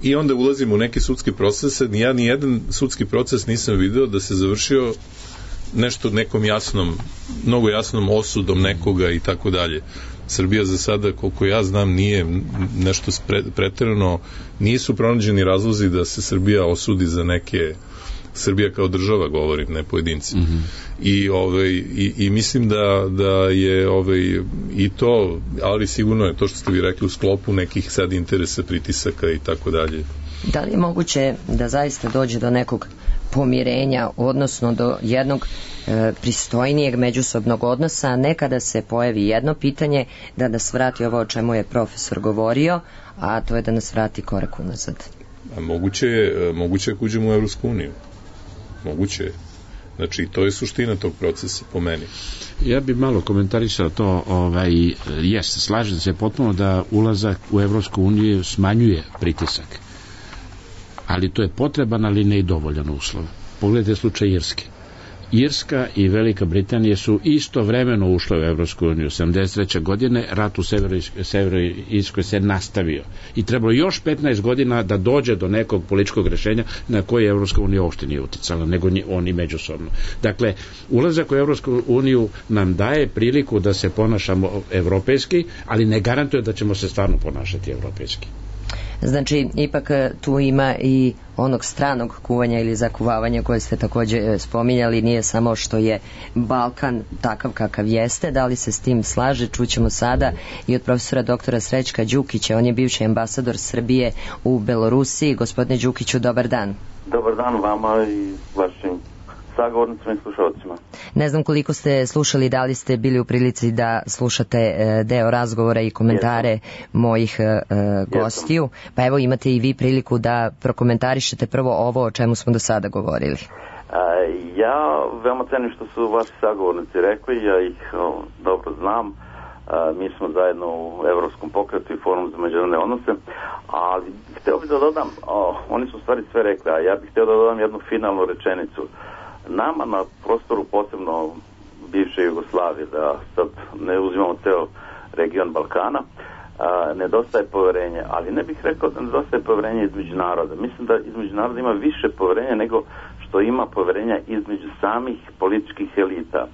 I onda ulazimo u neke sudske procese, ja ni jedan sudski proces nisam video da se završio nešto nekom jasnom, mnogo jasnom osudom nekoga i tako dalje. Srbija za sada, koliko ja znam, nije nešto preterano, nisu pronađeni razlozi da se Srbija osudi za neke, Srbija kao država govorim, ne pojedinci. Mm-hmm. I, ovaj, i, i mislim da, da je ovaj, i to, ali sigurno je to što ste vi rekli u sklopu nekih sad interesa, pritisaka i tako dalje. Da li je moguće da zaista dođe do nekog pomirenja, odnosno do jednog e, pristojnijeg međusobnog odnosa, a ne kada se pojavi jedno pitanje da nas vrati ovo o čemu je profesor govorio, a to je da nas vrati korak unazad? A moguće je, moguće je uđemo u Evropsku uniju. Moguće je. Znači, to je suština tog procesa, po meni. Ja bih malo komentarisao to, ovaj, jest, slažem se potpuno da ulazak u Evropsku uniju smanjuje pritisak. Ali to je potreban, ali ne i dovoljan uslov. Pogledajte slučaj Irske. Irska i Velika Britanija su istovremeno ušle u Evropsku uniju. sedamdeset treće godine rat u Severoirskoj se nastavio. I trebalo još petnaest godina da dođe do nekog političkog rešenja na koje Evropska unija uopšte nije uticala, nego oni međusobno. Dakle, ulazak u Evropsku uniju nam daje priliku da se ponašamo evropejski, ali ne garantuje da ćemo se stvarno ponašati evropejski. Znači, ipak tu ima i onog stranog kuvanja ili zakuvavanja koje ste takođe spominjali, nije samo što je Balkan takav kakav jeste. Da li se s tim slaže, čućemo sada i od profesora doktora Srećka Đukića, on je bivši ambasador Srbije u Belorusiji. Gospodine Đukiću, dobar dan. Dobar dan vama i vašim sagovornicima i slušalcima. Ne znam koliko ste slušali, da li ste bili u prilici da slušate e, deo razgovora i komentare Jesam. mojih e, gostiju, pa evo imate i vi priliku da prokomentarišete prvo ovo o čemu smo do sada govorili. Ja veoma cenim što su vaši sagovornici rekli, ja ih o, dobro znam. A, mi smo zajedno u Evropskom pokretu i Forumu za međunarodne odnose, ali hteo bih da dodam, o, oni su u stvari sve rekli, a ja bih hteo da dodam jednu finalnu rečenicu. Nama na prostoru, posebno bivše Jugoslavije, da sad ne uzimamo ceo region Balkana, a, nedostaje poverenje, ali ne bih rekao da nedostaje poverenje između naroda. Mislim da između naroda ima više poverenja nego što ima poverenja između samih političkih elita.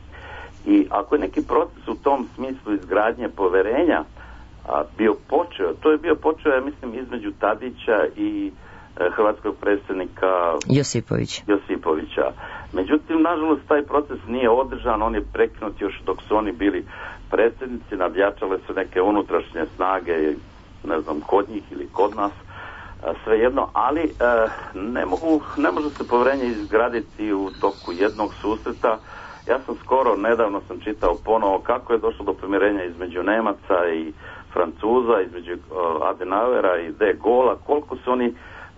I ako je neki proces u tom smislu izgradnje poverenja a, bio počeo, to je bio počeo, ja mislim, između Tadića i e, hrvatskog predsjednika Josipovića. Josipovića. Međutim, nažalost, taj proces nije održan, on je prekinut još dok su oni bili predsjednici, nadjačale su neke unutrašnje snage, ne znam, kod njih ili kod nas, a, svejedno, ali e, ne, mogu, ne može se poverenje izgraditi u toku jednog susreta. Ja sam skoro, nedavno sam čitao ponovo kako je došlo do pomirenja između Nemaca i Francuza, između uh, Adenauera i De Gaulle'a, koliko su oni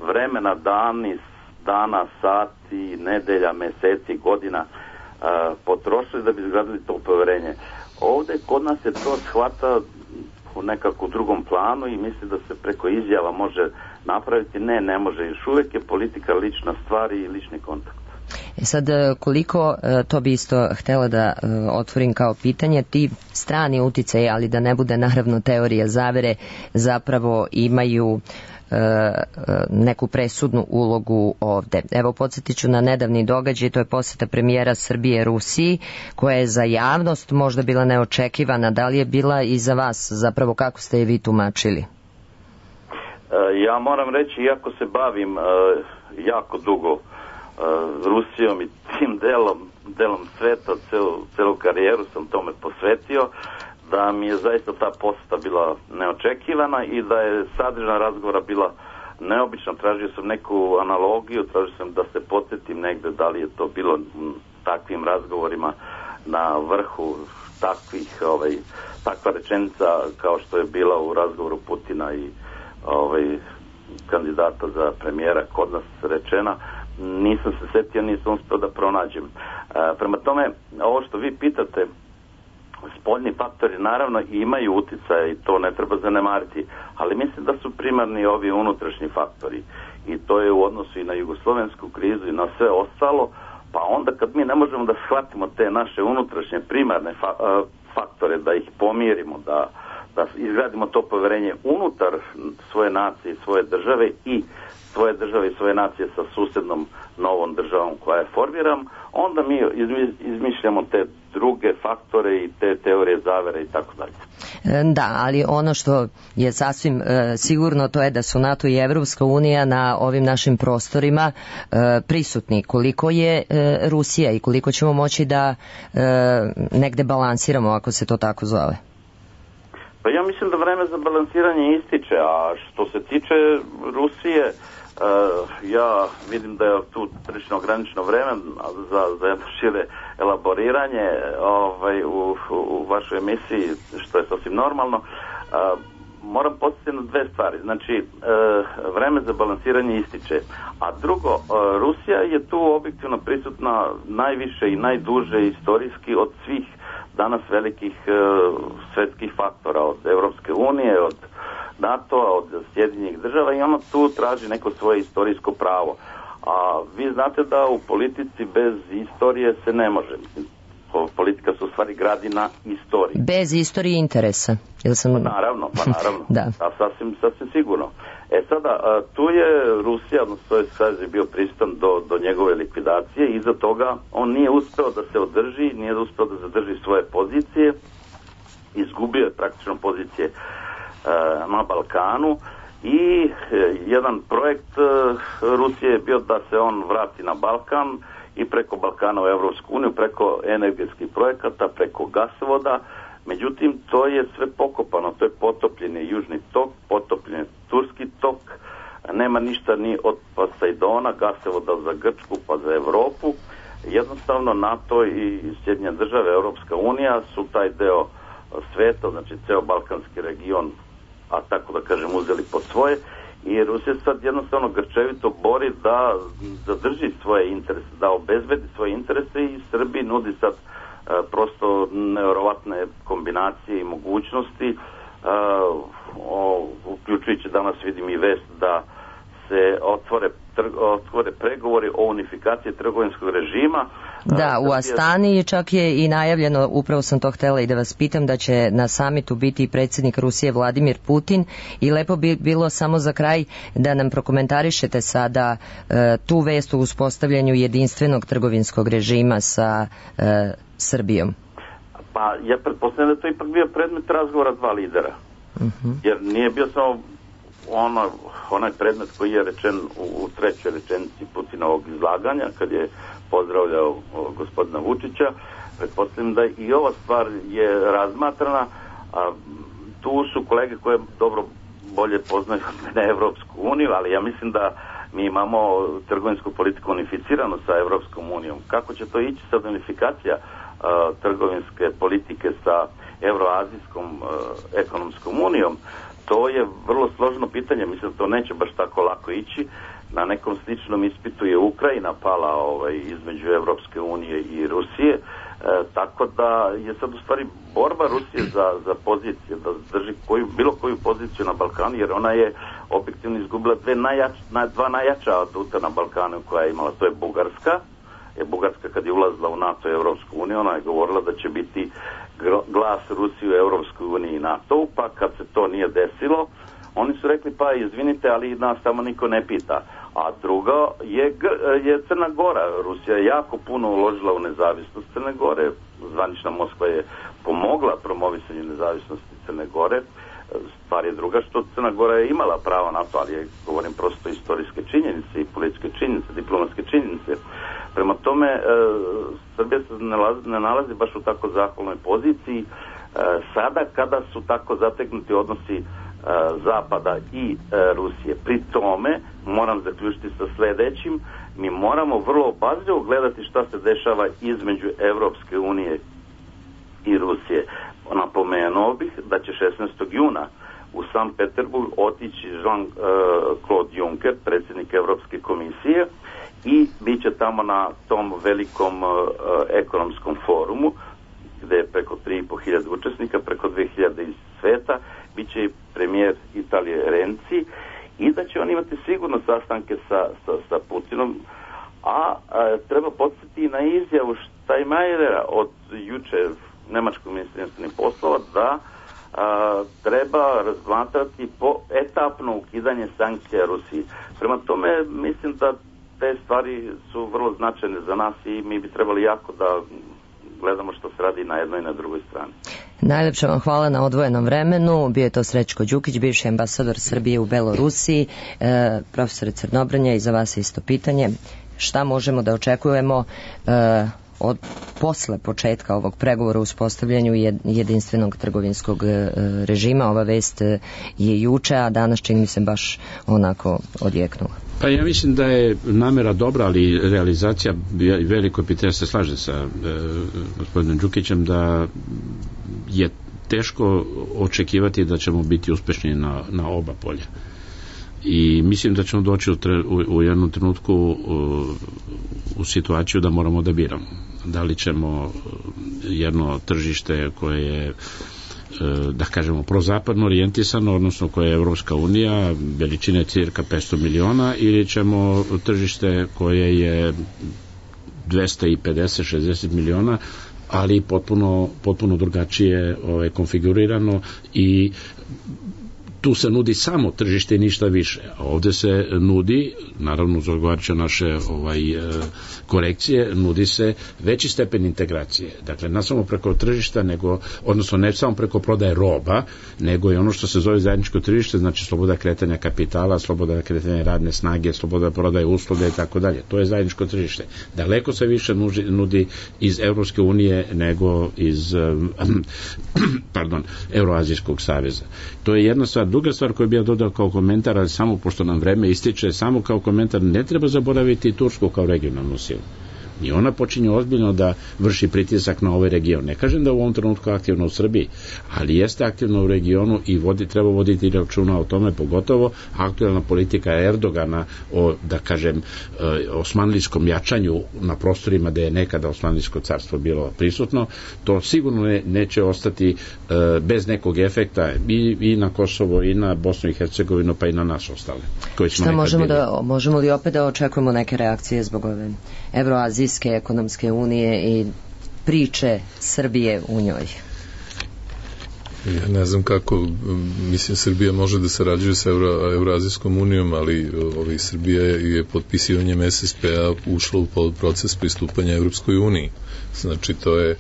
vremena, dani, dana, sati, nedelja, meseci, godina uh, potrošili da bi izgradili to poverenje. Ovdje kod nas je to shvata u nekako drugom planu i misli da se preko izjava može napraviti. Ne, ne može. Još uvijek je politika lična stvar i lični kontakt. E sad, koliko, to bi isto htjela da otvorim kao pitanje, ti strani uticaji, ali da ne bude naravno teorija zavere, zapravo imaju neku presudnu ulogu ovde. Evo, podsjetit ću na nedavni događaj, to je posjeta premijera Srbije Rusiji, koja je za javnost možda bila neočekivana. Da li je bila i za vas? Zapravo, kako ste je vi tumačili? Ja moram reći, iako se bavim jako dugo Rusijom i tim delom, delom sveta, celu, celu karijeru sam tome posvetio, da mi je zaista ta posjeta bila neočekivana i da je sadržana razgovora bila neobična. Tražio sam neku analogiju, tražio sam da se podsjetim negde da li je to bilo takvim razgovorima na vrhu takvih, ovaj, takva rečenica kao što je bila u razgovoru Putina i ovaj, kandidata za premijera kod nas rečena. Nisam se setio, nisam uspio da pronađem. E, prema tome, ovo što vi pitate, spoljni faktori naravno imaju utjecaj i to ne treba zanemariti, ali mislim da su primarni ovi unutrašnji faktori i to je u odnosu i na jugoslovensku krizu i na sve ostalo, pa onda kad mi ne možemo da shvatimo te naše unutrašnje primarne fa- faktore, da ih pomirimo, da, da izgradimo to poverenje unutar svoje nacije, svoje države i svoje države i svoje nacije sa susjednom novom državom koja je formiram, onda mi izmišljamo te druge faktore i te teorije zavere i tako dalje. Da, ali ono što je sasvim e, sigurno to je da su NATO i Evropska unija na ovim našim prostorima e, prisutni. Koliko je e, Rusija i koliko ćemo moći da e, negde balansiramo, ako se to tako zove? Pa ja mislim da vreme za balansiranje ističe, a što se tiče Rusije, Uh, ja vidim da je tu prilično ograničeno vreme za, za jedno šire elaboriranje ovaj, u, u vašoj emisiji, što je sasvim normalno. Uh, moram podsjetiti na dve stvari. Znači, uh, vreme za balansiranje ističe. A drugo, uh, Rusija je tu objektivno prisutna najviše i najduže istorijski od svih danas velikih uh, svetskih faktora, od Evropske unije, od NATO-a, od Sjedinjenih država i ono tu traži neko svoje istorijsko pravo. A vi znate da u politici bez istorije se ne može. Politika se u stvari gradi na istoriji. Bez istorije interesa. Jel sam... Pa naravno, pa naravno. Da. A sasvim, sasvim sigurno. E sada, tu je Rusija, odnosno to je sad je bio prisutan do, do njegove likvidacije i iza toga on nije uspeo da se održi, nije uspeo da zadrži svoje pozicije, izgubio je praktično pozicije na Balkanu i jedan projekt Rusije je bio da se on vrati na Balkan i preko Balkana u Evropsku uniju, preko energetskih projekata, preko gasovoda. Međutim, to je sve pokopano, to je potopljen je Južni tok, potopljen je Turski tok, nema ništa ni od Poseidona, gasovoda za Grčku pa za Evropu. jednostavno NATO i Sjedinjene države, Europska unija su taj deo sveta, znači ceo balkanski region, a tako da kažem uzeli pod svoje, i Rusija sad jednostavno grčevito bori da zadrži svoje interese, da obezbedi svoje interese, i Srbiji nudi sad e, prosto nevjerovatne kombinacije i mogućnosti, e, o, uključujući danas vidim i vest da se otvore, trg, otvore pregovori o unifikaciji trgovinskog režima. Da, u Astani čak je i najavljeno, upravo sam to htjela i da vas pitam, da će na samitu biti predsjednik Rusije Vladimir Putin, i lepo bi bilo samo za kraj da nam prokomentarišete sada e, tu vest o uspostavljanju jedinstvenog trgovinskog režima sa e, Srbijom. Pa ja pretpostavljam da je to ipak bio predmet razgovora dva lidera, uh-huh. jer nije bio samo ono, onaj predmet koji je rečen u, u trećoj rečenici Putinovog izlaganja kad je pozdravljao o, gospodina Vučića. Pretpostavljam da i ova stvar je razmatrana, a tu su kolege koje dobro bolje poznaju na Evropsku uniju, ali ja mislim da mi imamo trgovinsku politiku unificiranu sa Evropskom unijom. Kako će to ići sad unifikacija a, trgovinske politike sa Evroazijskom a, ekonomskom unijom? To je vrlo složeno pitanje, mislim da to neće baš tako lako ići. Na nekom sličnom ispitu je Ukrajina pala ovaj, između Evropske unije i Rusije, e, tako da je sad u stvari borba Rusije za, za pozicije, da drži koju, bilo koju poziciju na Balkanu, jer ona je objektivno izgubila dve najjač, na, dva najjača aduta na Balkanu koja je imala, to je Bugarska. Je Bugarska kad je ulazila u NATO i Evropsku uniju, ona je govorila da će biti glas Rusije u Evropskoj uniji i NATO, pa kad se to nije desilo, oni su rekli pa izvinite, ali nas tamo niko ne pita. A drugo je, je Crna Gora. Rusija je jako puno uložila u nezavisnost Crne Gore, zvanična Moskva je pomogla promovisanju nezavisnosti Crne Gore. Stvar je druga što Crna Gora je imala pravo na to, ali je, govorim prosto, istorijske činjenice i političke činjenice, diplomatske činjenice. Prema tome, e, Srbija se ne nalazi, ne nalazi baš u tako zahvalnoj poziciji. E, sada kada su tako zategnuti odnosi e, Zapada i e, Rusije. Pri tome, moram zaključiti sa sledećim, mi moramo vrlo obazrivo gledati šta se dešava između Evropske unije i Rusije. Napomenuo bih da će šesnaestog juna u Sankt Peterburg otići Jean-Claude Juncker, predsjednik Evropske komisije, i bit će tamo na tom velikom uh, ekonomskom forumu gde je preko tri i po hiljade učesnika, preko dve hiljade iz sveta, bit će i premijer Italije Renzi, i da će on imati sigurno sastanke sa, sa, sa Putinom, a, a treba podsjetiti na izjavu Steinmeiera od juče nemačkog ministra inostranih poslova da a, treba razmatrati po etapno ukidanje sankcija Rusiji. Prema tome mislim da te stvari su vrlo značajne za nas i mi bi trebali jako da gledamo što se radi na jednoj i na drugoj strani. Najlepše vam hvala na odvojenom vremenu. Bio je to Srećko Đukić, bivši ambasador Srbije u Belorusiji. E, profesore Crnobrnja, i za vas isto pitanje. Šta možemo da očekujemo e, od posle početka ovog pregovora u uspostavljanju jedinstvenog trgovinskog režima? Ova vest je juče, a danas čini mi se baš onako odjeknula. Pa ja mislim da je namera dobra, ali realizacija veliko pitanje, se slaže sa e, gospodinom Đukićem, da je teško očekivati da ćemo biti uspešni na, na oba polja. I mislim da ćemo doći u, tre, u, u jednom trenutku u, u situaciju da moramo da biramo. Da li ćemo jedno tržište koje je, da kažemo, prozapadno orijentisano, odnosno koje je Evropska unija, veličine cirka petsto miliona, ili ćemo tržište koje je dvesta pedeset do šezdeset miliona, ali potpuno, potpuno drugačije ovaj, konfigurirano, i tu se nudi samo tržište i ništa više. A ovde se nudi, naravno uz odgovarajuće naše ovaj, korekcije, nudi se veći stepen integracije. Dakle, ne samo preko tržišta, nego, odnosno ne samo preko prodaje roba, nego i ono što se zove zajedničko tržište, znači sloboda kretanja kapitala, sloboda kretanja radne snage, sloboda prodaje usluge i tako dalje. To je zajedničko tržište. Daleko se više nudi, nudi iz Evropske unije nego iz pardon, Euroazijskog saveza. To je jedna stvar. Druga stvar koju bih ja dodao kao komentar, ali samo pošto nam vreme ističe, samo kao komentar, ne treba zaboraviti Tursku kao regionalnu silu. I ona počinje ozbiljno da vrši pritisak na ovaj region. Ne kažem da u ovom trenutku aktivno u Srbiji, ali jeste aktivno u regionu i vodi, treba voditi računa o tome, pogotovo aktualna politika Erdogana o, da kažem, osmanlijskom jačanju na prostorima gde je nekada Osmanlijsko carstvo bilo prisutno. To sigurno ne, neće ostati bez nekog efekta i, i na Kosovo i na Bosnu i Hercegovinu pa i na nas ostale. Koji smo Šta možemo bili. da, možemo li opet da očekujemo neke reakcije zbog ove Evroazijske ekonomske unije i priče Srbije u njoj? Ja ne znam kako, mislim, Srbija može da sarađuje sa Euro, Evroazijskom unijom, ali ovi, Srbija je potpisivanjem es es pe a ušla u proces pristupanja Evropskoj uniji. Znači, to je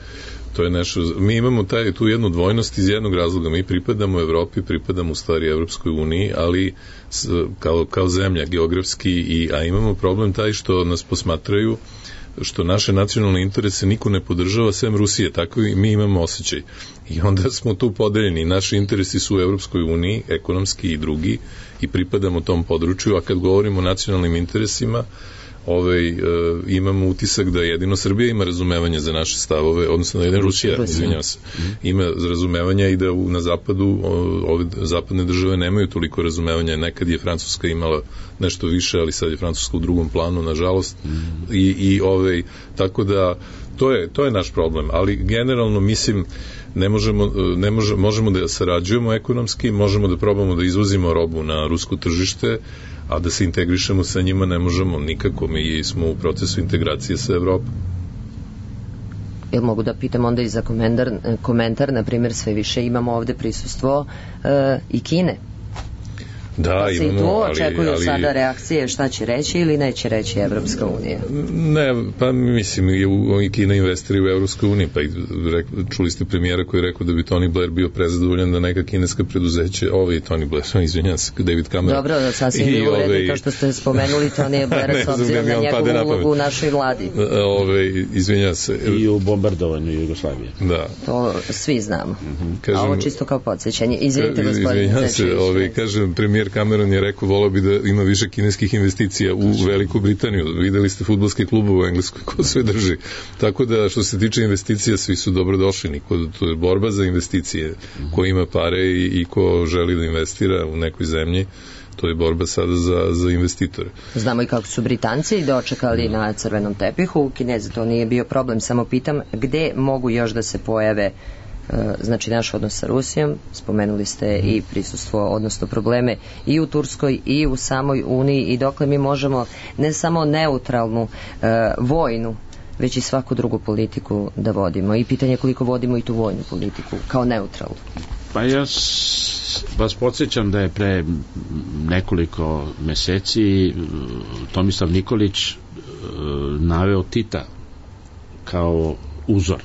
to je nešto, mi imamo taj, tu jednu dvojnost iz jednog razloga, mi pripadamo Evropi, pripadamo u stvari Evropskoj uniji, ali s, kao, kao zemlja geografski, i, a imamo problem taj što nas posmatraju, što naše nacionalne interese niko ne podržava sem Rusije, tako i mi imamo osjećaj. I onda smo tu podeljeni, naši interesi su u Evropskoj uniji, ekonomski i drugi, i pripadamo tom području, a kad govorimo o nacionalnim interesima, Ovaj, e, imamo utisak da jedino Srbija ima razumevanje za naše stavove, odnosno da jedino Rusija, izvinjam se, ima razumevanja i da u, na zapadu o, ove zapadne države nemaju toliko razumevanja. Nekad je Francuska imala nešto više, ali sad je Francuska u drugom planu, nažalost. Mm. I, i ovaj, tako da to je, to je naš problem, ali generalno mislim ne možemo, ne može, možemo da sarađujemo ekonomski, možemo da probamo da izvozimo robu na rusko tržište, a da se integrišemo sa njima ne možemo nikako, mi smo u procesu integracije sa Evropom. Jel mogu da pitam onda i za komentar, komentar na primjer, sve više imamo ovde prisustvo e, i Kine. Da, pa se imamo, i tu očekuju ali, ali, sada reakcije šta će reći ili neće reći Evropska unija? Ne, pa mislim i, u, i Kina investira u Evropskoj uniji, pa i rek, čuli ste premijera koji je rekao da bi Tony Blair bio prezadovoljan da neka kineska preduzeće, ovaj Tony Blair, izvinjam se, David Cameron. Dobro, sasvim je u redu to što ste spomenuli Tony Blair s obzirom na njegovu ulogu u našoj vladi. Ove, izvinjam se. I u bombardovanju Jugoslavije. Da. To svi znamo. Mm-hmm. Kažem, a ovo čisto kao podsjećanje. Izvinite, gospodine. Izvinjam se, ovaj, kažem, premijer Cameron je rekao, volao bi da ima više kineskih investicija u Veliku Britaniju. Videli ste fudbalske klubove u Engleskoj ko sve drži. Tako da što se tiče investicija, svi su dobro došli. Niko, to je borba za investicije. Ko ima pare i, i ko želi da investira u nekoj zemlji, to je borba sada za, za investitore. Znamo i kako su Britanci dočekali no. na crvenom tepihu. Kinezi to nije bio problem. Samo pitam gde mogu još da se pojave znači naš odnos sa Rusijom, spomenuli ste i prisustvo, odnosno probleme i u Turskoj i u samoj Uniji, i dokle mi možemo ne samo neutralnu e, vojnu, već i svaku drugu politiku da vodimo, i pitanje koliko vodimo i tu vojnu politiku kao neutralnu. Pa ja vas podsjećam da je pre nekoliko meseci Tomislav Nikolić naveo Tita kao uzor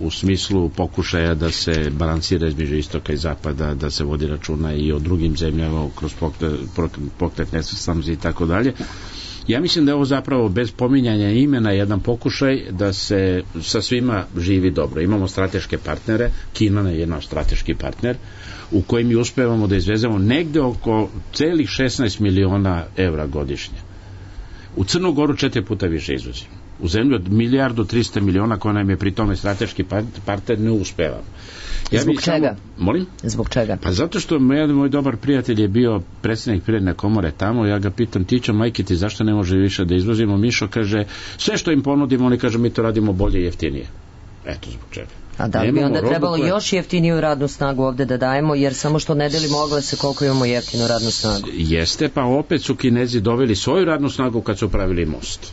u smislu pokušaja da se balansira između istoka i zapada, da se vodi računa i o drugim zemljama kroz pokret nesvrstanosti i tako dalje. Ja mislim da je ovo zapravo bez pominjanja imena jedan pokušaj da se sa svima živi dobro. Imamo strateške partnere, Kina je naš strateški partner, u kojem mi uspevamo da izvezemo negde oko celih šesnaest miliona evra godišnje. U Crnu Goru četiri puta više izvozimo. U zemlju od milijardu trista miliona koja nam je pri tome strateški partner ne uspevamo. Ja Zbog čega? Samo, molim? Zbog čega? Pa zato što moj, moj dobar prijatelj je bio predsednik Privredne komore tamo, ja ga pitam, Tićo, majke ti, zašto ne može više da izvozimo? Mišo kaže, sve što im ponudimo, oni kaže, mi to radimo bolje i jeftinije. Eto zbog čega. A da li bi onda trebalo koje... još jeftiniju radnu snagu ovde da dajemo, jer samo što ne delimo oglase koliko imamo jeftinu radnu snagu? Jeste, pa opet su Kinezi doveli svoju radnu snagu kad su pravili most.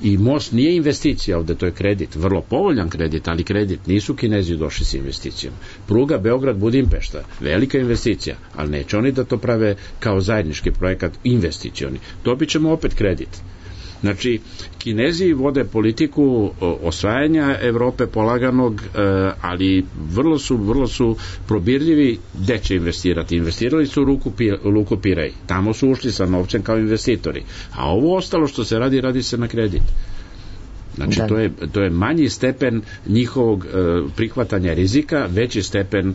I most nije investicija ovde, to je kredit, vrlo povoljan kredit, ali kredit, nisu Kinezi došli s investicijom. Pruga Beograd-Budimpešta, velika investicija, ali neće oni da to prave kao zajednički projekat investicioni. Dobit ćemo opet kredit. Znači, Kinezi vode politiku osvajanja Evrope polaganog, ali vrlo su, vrlo su probirljivi gde će investirati. Investirali su u Luku, Luku Pirej. Tamo su ušli sa novcem kao investitori. A ovo ostalo što se radi, radi se na kredit. Znači, da. to je, to je manji stepen njihovog e, prihvatanja rizika, veći stepen e,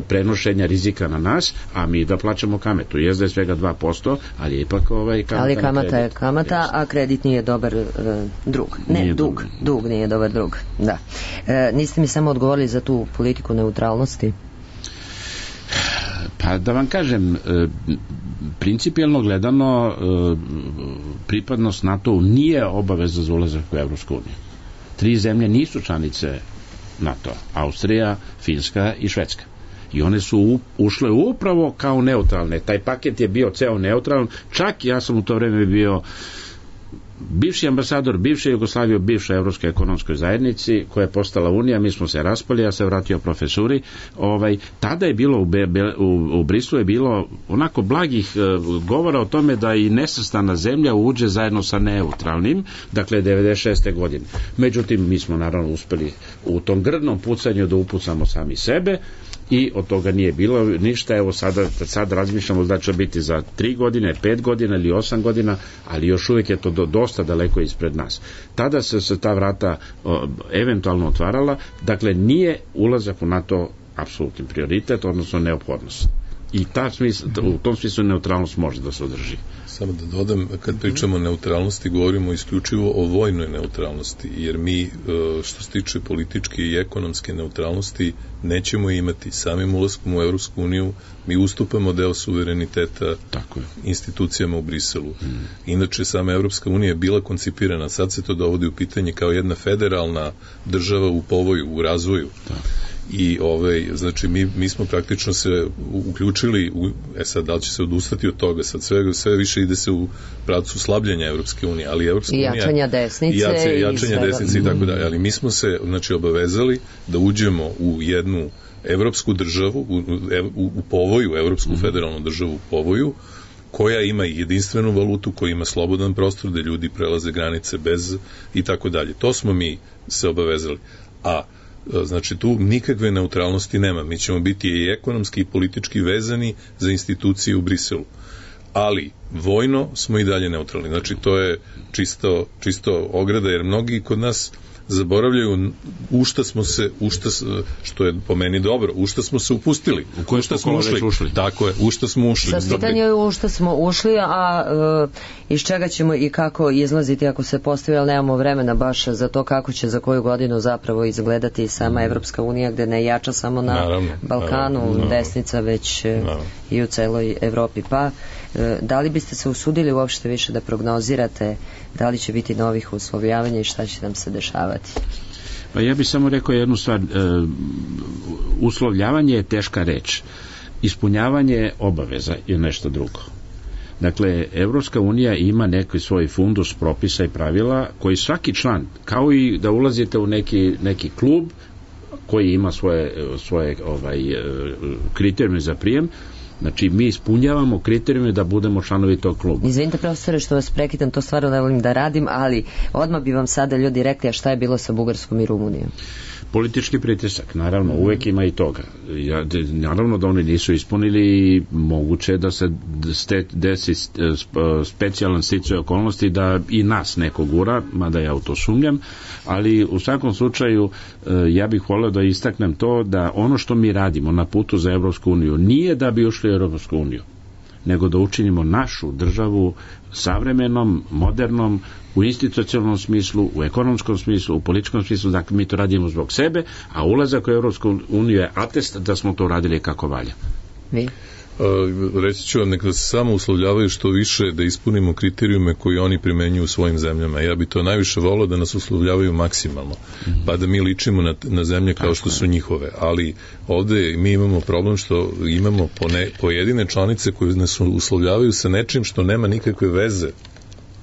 prenošenja rizika na nas, a mi da plaćamo kametu. Jezda je svega dva posto, ali je ipak ovaj kamata. Ali kamata je kamata, a kredit nije dobar e, drug. Ne, nije dug. dobar. Dug nije dobar drug. Da. E, niste mi samo odgovorili za tu politiku neutralnosti? Pa da vam kažem, e, principijelno gledano e, pripadnost NATO nije obaveza za ulazak u Evropsku uniju. Tri zemlje nisu članice NATO, Austrija, Finska i Švedska. I one su ušle upravo kao neutralne. Taj paket je bio ceo neutralan, čak ja sam u to vreme bio bivši ambasador bivše Jugoslavije u bivšoj Evropskoj ekonomskoj zajednici koja je postala Unija, mi smo se raspali, ja se vratio profesuri, ovaj, tada je bilo u, Be, u, u Brislu je bilo onako blagih e, govora o tome da i nesvrstana zemlja uđe zajedno sa neutralnim, dakle devedeset šeste godine. Međutim, mi smo naravno uspeli u tom grdnom pucanju da upucamo sami sebe i od toga nije bilo ništa. Evo sada, sad razmišljamo da će biti za tri godine, pet godina ili osam godina, ali još uvijek je to do, dosta daleko ispred nas. Tada se, se ta vrata o, eventualno otvarala, dakle nije ulazak u NATO apsolutni prioritet, odnosno neophodnost. I ta smisl, u tom smislu neutralnost može da se održi. Samo da dodam, kad pričamo o neutralnosti, govorimo isključivo o vojnoj neutralnosti, jer mi, što se tiče političke i ekonomske neutralnosti, nećemo imati. Samim ulaskom u Evropsku uniju mi ustupamo deo suvereniteta Tako je. institucijama u Briselu. Hmm. Inače, sama Evropska unija je bila koncipirana, sad se to dovodi u pitanje kao jedna federalna država u povoju, u razvoju. Da. I ovaj, znači mi, mi smo praktično se uključili u, e sad da li će se odustati od toga, sad sve, sve više ide se u pravcu slabljenja Evropske unije, ali Evropska i jačanja desnice i jače, jačanja i desnice i tako dalje, ali mi smo se znači obavezali da uđemo u jednu evropsku državu u, u, u povoju, evropsku mm. federalnu državu u povoju, koja ima jedinstvenu valutu, koja ima slobodan prostor da ljudi prelaze granice bez i tako dalje. To smo mi se obavezali. A znači tu nikakve neutralnosti nema. Mi ćemo biti i ekonomski i politički vezani za institucije u Briselu. Ali vojno smo i dalje neutralni. Znači to je čisto, čisto ograda, jer mnogi kod nas zaboravljaju u šta smo se, u šta, što je po meni dobro, u šta smo se upustili. U koje što smo ušli. ušli. Tako je, u šta smo ušli. Sa pitanje je u šta smo ušli, a e, iz čega ćemo i kako izlaziti ako se postavi, ali nemamo vremena baš za to kako će za koju godinu zapravo izgledati sama Evropska unija, gde ne jača samo na naravno, Balkanu naravno, desnica, već naravno. i u celoj Evropi. Pa, e, da li biste se usudili uopšte više da prognozirate da li će biti novih uslovljavanja i šta će nam se dešavati? Pa ja bih samo rekao jednu stvar. E, uslovljavanje je teška reč. Ispunjavanje obaveza je nešto drugo. Dakle, Evropska unija ima neki svoj fundus propisa i pravila koji svaki član, kao i da ulazite u neki, neki klub koji ima svoje, svoje ovaj, kriterijume za prijem. Znači, mi ispunjavamo kriterijume da budemo članovi tog kluba. Izvinite, profesore, što vas prekitam, to stvarno ne volim da radim, ali odmah bi vam sada ljudi rekli, a šta je bilo sa Bugarskom i Rumunijom? Politički pritisak, naravno, uvek ima i toga. Ja, naravno da oni nisu ispunili i moguće da se desi specijalan sticaj okolnosti da i nas neko gura, mada ja u to sumnjam, ali u svakom slučaju ja bih voleo da istaknem to da ono što mi radimo na putu za Evropsku uniju nije da bi ušli u Evropsku uniju, nego da učinimo našu državu savremenom, modernom, u institucionalnom smislu, u ekonomskom smislu, u političkom smislu, dakle mi to radimo zbog sebe, a ulazak u Evropsku uniju je atest da smo to uradili kako valja. Vi? Reći ću vam, neka se samo uslovljavaju što više da ispunimo kriterijume koji oni primenjuju u svojim zemljama. Ja bi to najviše volio da nas uslovljavaju maksimalno, mm-hmm. pa da mi ličimo na, na zemlje kao što su njihove. Ali ovde mi imamo problem što imamo pone, pojedine članice koje nas uslovljavaju sa nečim što nema nikakve veze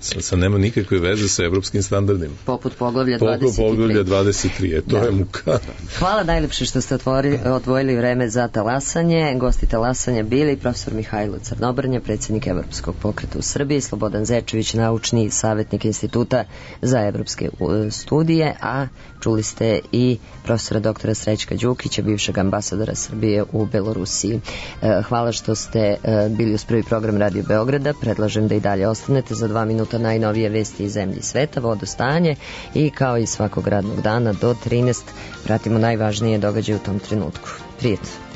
Sa, sa nema nikakve veze sa evropskim standardima. Poput poglavlja dvadeset tri. Poput poglavlja dvadeset tri, e, to da. je muka. Hvala najlepše što ste otvori, odvojili vreme za talasanje. Gosti talasanja bili profesor Mihajlo Crnobrnja, predsjednik Evropskog pokreta u Srbiji, Slobodan Zečević, naučni savjetnik Instituta za evropske studije, a čuli ste i profesora doktora Srećka Đukića, bivšeg ambasadora Srbije u Belorusiji. Hvala što ste bili uz prvi program Radio Beograda. Predlažem da i dalje ostanete. Za dva minuta minuta najnovije vesti iz zemlje i sveta, vodostanje i kao i svakog radnog dana do trinaest pratimo najvažnije događaje u tom trenutku. Prijetno.